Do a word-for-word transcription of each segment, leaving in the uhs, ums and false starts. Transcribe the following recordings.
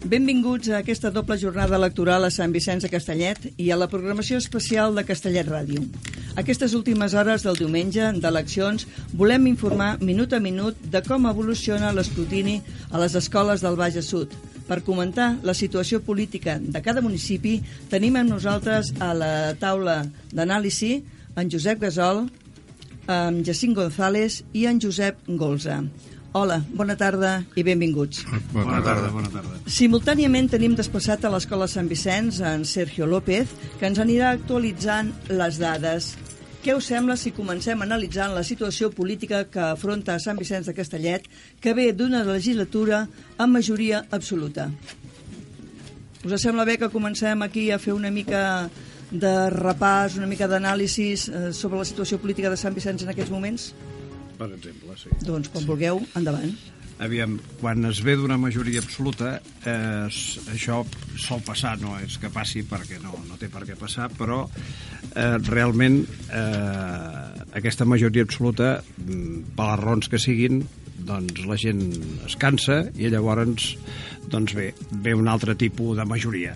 Benvinguts a aquesta doble jornada electoral a Sant Vicenç de Castellet i a la programació especial de Castellet Ràdio. Aquestes últimes hores del diumenge d'eleccions volem informar minut a minut de com evoluciona l'escrutini a les escoles del Baix Sud. Per comentar la situació política de cada municipi tenim amb nosaltres a la taula d'anàlisi en Josep Gasol, en Jacint González i en Josep Golza. Hola, bona tarda i benvinguts. Bona tarda, bona tarda. Simultàniament tenim desplaçat a l'Escola Sant Vicenç en Sergio López, que ens anirà actualitzant les dades. Què us sembla si comencem analitzant la situació política que afronta Sant Vicenç de Castellet, que ve d'una legislatura amb majoria absoluta? Us sembla bé que comencem aquí a fer una mica de repàs, una mica d'anàlisi sobre la situació política de Sant Vicenç en aquests moments? Per exemple, sí. Doncs, quan vulgueu, endavant. Aviam, quan es ve d'una majoria absoluta, eh, això sol passar, no és que passi perquè no, no té per què passar, però eh, realment eh, aquesta majoria absoluta, per les raons que siguin, doncs la gent es cansa i llavors doncs bé, ve un altre tipus de majoria,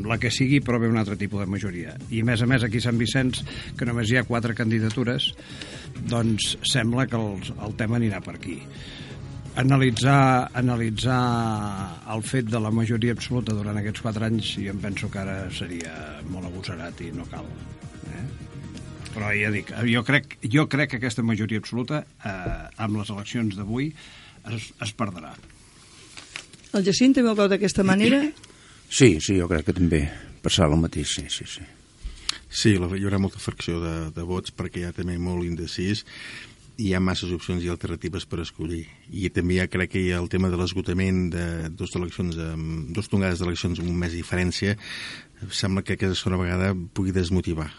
la que sigui, però ve un altre tipus de majoria. I a més a més aquí a Sant Vicenç, que només hi ha quatre candidatures, doncs sembla que el, el tema anirà per aquí. Analitzar, analitzar el fet de la majoria absoluta durant aquests quatre anys, jo em penso que ara seria molt agosarat i no cal. Eh? Però ja dic, jo crec, jo crec que aquesta majoria absoluta, eh, amb les eleccions d'avui, es, es perdrà. El Jacint també ho veu d'aquesta manera? Sí, sí, jo crec que també passarà el mateix, sí, sí, sí. Sí, hi haurà molta fracció de, de vots perquè hi ha també molt indecís i hi ha masses opcions i alternatives per escollir. I també ja crec que hi ha el tema de l'esgotament de dues eleccions, amb dues tongades d'eleccions amb un mes de diferència, sembla que aquesta segona vegada pugui desmotivar.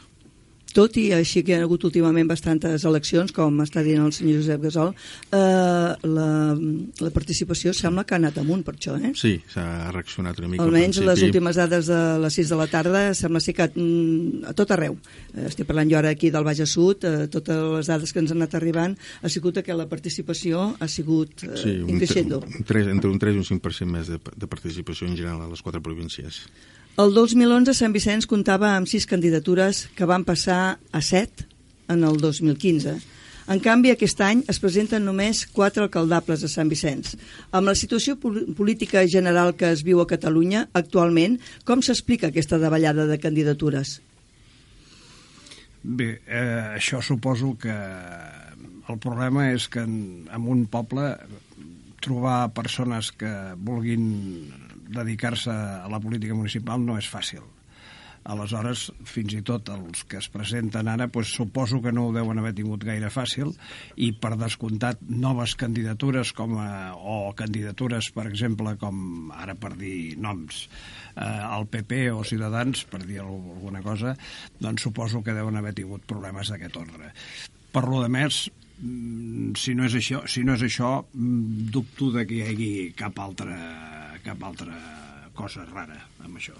Tot i així que hi ha hagut últimament bastantes eleccions, com està dient el senyor Josep Gasol, eh, la, la participació sembla que ha anat amunt per això, eh? Sí, s'ha reaccionat una mica. Almenys les últimes dades de les sis de la tarda sembla ser que mm, a tot arreu. Eh, estic parlant jo ara aquí del Baix Sud, eh, totes les dades que ens han anat arribant ha sigut que la participació ha sigut eh, sí, increixendo. Un, un, entre un tres i un cinc per cent més de, de participació en general a les quatre províncies. El dos mil onze Sant Vicenç comptava amb sis candidatures que van passar a set en el dos mil quinze. En canvi, aquest any es presenten només quatre alcaldables a Sant Vicenç. Amb la situació política general que es viu a Catalunya actualment, com s'explica aquesta davallada de candidatures? Bé, eh, això suposo que el problema és que en, en un poble trobar persones que vulguin dedicar-se a la política municipal no és fàcil. Aleshores, fins i tot els que es presenten ara, doncs, suposo que no ho deuen haver tingut gaire fàcil i, per descomptat, noves candidatures com a, o candidatures, per exemple, com ara per dir noms, eh, el P P o Ciutadans, per dir alguna cosa, doncs suposo que deuen haver tingut problemes d'aquest ordre. Per lo de més, si no és això, si no és això dubto de que hi hagi cap altra, cap altra cosa rara amb això.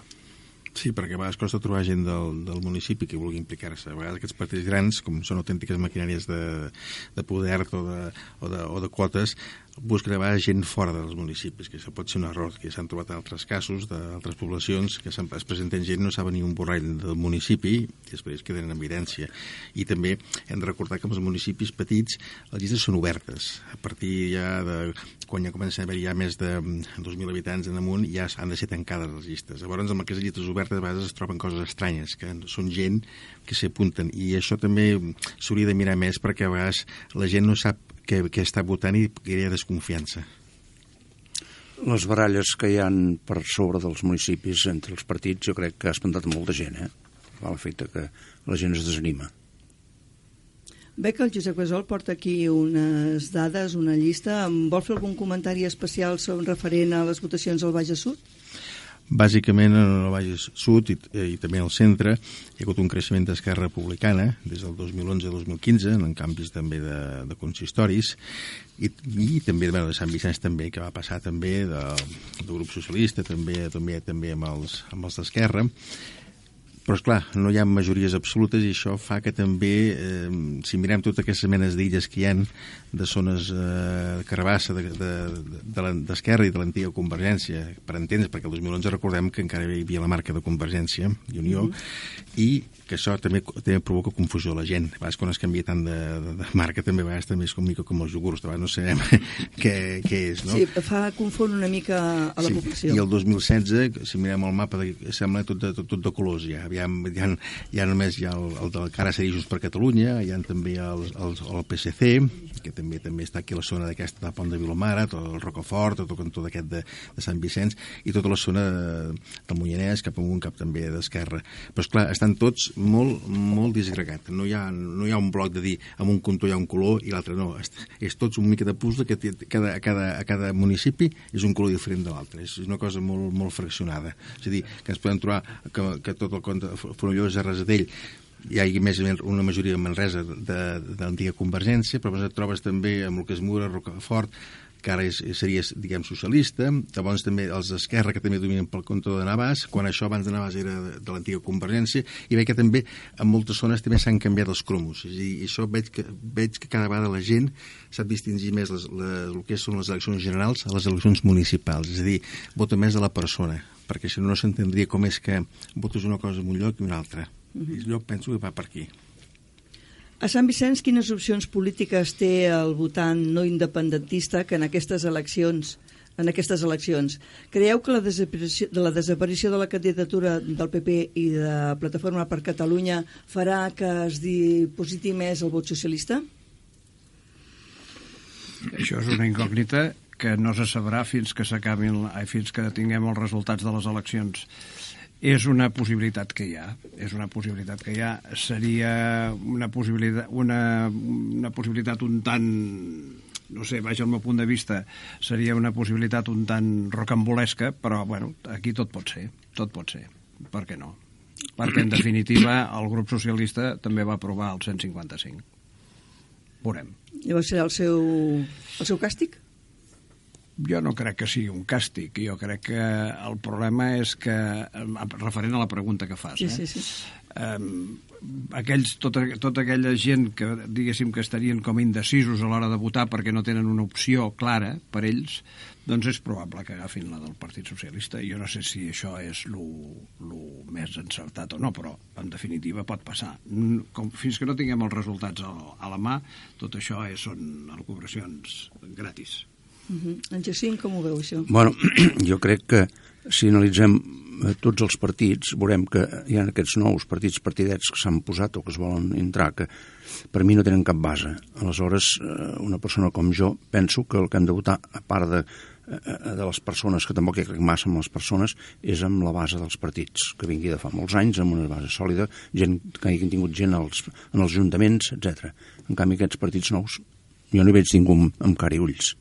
Sí, perquè a vegades costa trobar gent del, del municipi que vulgui implicar-se. A vegades aquests partits grans, com són autèntiques maquinàries de, de poder o de, o, de, o de quotes, busquen a vegades gent fora dels municipis, que això pot ser un error, que s'han trobat altres casos d'altres poblacions que es presenten gent, no saben ni un borrall del municipi i després queden en evidència. I també hem de recordar que els municipis petits les llistes són obertes. A partir ja de quan ja comencen a haver ja més de dos mil habitants en amunt ja han de ser tancades les llistes. Llavors amb aquestes llistes obertes a vegades es troben coses estranyes, que són gent que s'hi apunten, i això també s'hauria de mirar més perquè a vegades la gent no sap que, que està votant i que hi ha desconfiança. Les baralles que hi ha per sobre dels municipis entre els partits jo crec que ha espantat molta gent, eh? Fa l'efecte que la gent es desanima. Bé que el Josep Gasol porta aquí unes dades, una llista. Vol fer algun comentari especial sobre referent a les votacions al Baix Sud? Bàsicament en el Baix Sud i, i també al centre hi ha hagut un creixement d'Esquerra Republicana des del dos mil onze a dos mil quinze, en canvis també de, de consistoris, i, i també bueno, de Sant Vicenç també, que va passar també de, del grup socialista, també també també amb els, amb els d'Esquerra. Però, esclar, no hi ha majories absolutes i això fa que també, eh, si mirem totes aquestes menes d'illes que hi ha, de zones eh, carabassa d'Esquerra i de l'antiga Convergència, per entendre, perquè el dos mil onze recordem que encara hi havia la marca de Convergència i Unió, mm-hmm. i que això també, també provoca confusió a la gent. A vegades quan es canvia tant de, de, de marca també a vegades també és com, mica com els iogurts, a vegades no sabem què, què és, no? Sí, fa confon una mica a la sí. població. I el dos mil setze, si mirem el mapa, de, sembla tot de, tot, tot de colors ja. Aviam, hi ha, hi ha només hi ha el, el del que ara seria Junts per Catalunya, hi ha també el, el, el P S C, que també també està aquí a la zona d'aquesta de Pont de Vilomara, tot el Rocafort, tot el cantó d'aquest de, de Sant Vicenç, i tota la zona de, del Moianès, cap amunt, cap també d'Esquerra. Però, esclar, estan tots molt, molt disgregats. No hi ha, no hi ha un bloc de dir en un cantó hi ha un color i l'altre no. És, és tots un mica de puzzle que té, cada, a, cada, a cada municipi és un color diferent de l'altre. És una cosa molt, molt fraccionada. És a dir, que ens podem trobar que, que tot el compte Fonollosa, Rasadell, hi ha més o menys una majoria de Manresa de, de l'antiga Convergència, però et trobes també amb el que és Mura, Rocafort, que ara és, seria, diguem, socialista. Llavors també els d'Esquerra, que també dominen pel compte de Navàs, quan això abans de Navàs era de, de l'antiga Convergència, i veig que també en moltes zones també s'han canviat els cromos. És a dir, i això veig que, veig que cada vegada la gent sap distingir més les, les, el que són les eleccions generals a les eleccions municipals. És a dir, vota més de la persona, perquè si no, no s'entendria com és que votes una cosa en un lloc i una altra. I jo penso que va per aquí. A Sant Vicenç, quines opcions polítiques té el votant no independentista que en aquestes eleccions en aquestes eleccions? Creieu que la desaparició, de la desaparició de la candidatura del P P i de Plataforma per Catalunya farà que es dipositi més el vot socialista? Això és una incògnita que no se sabrà fins que s'acabin, fins que tinguem els resultats de les eleccions. És una possibilitat que hi ha, és una possibilitat que hi ha. Seria una possibilitat, una, una possibilitat un tant, no sé, vaja, al meu punt de vista, seria una possibilitat un tant rocambolesca, però, bueno, aquí tot pot ser, tot pot ser. Per què no? Perquè, en definitiva, el grup socialista també va aprovar el cent cinquanta-cinc. Veurem. Llavors serà el seu, el seu càstig? Jo no crec que sigui un càstig. Jo crec que el problema és que, referent a la pregunta que fas, sí, eh? sí, sí. Um, aquells, tota, tota aquella gent que, diguéssim, que estarien com indecisos a l'hora de votar perquè no tenen una opció clara per ells, doncs és probable que agafin la del Partit Socialista. Jo no sé si això és lo, lo més encertat o no, però en definitiva pot passar. Com, fins que no tinguem els resultats a, a la mà, tot això és, són elucubracions gratis. Uh-huh. En Jacint, com ho veu, això? Bueno, jo crec que si analitzem tots els partits, veurem que hi ha aquests nous partits partidets que s'han posat o que es volen entrar, que per mi no tenen cap base. Aleshores, una persona com jo penso que el que hem de votar, a part de, de les persones, que tampoc hi crec massa amb les persones, és amb la base dels partits, que vingui de fa molts anys, amb una base sòlida, gent que hagin tingut gent als, en els ajuntaments, etcètera. En canvi, aquests partits nous, jo no hi veig ningú amb cara i ulls.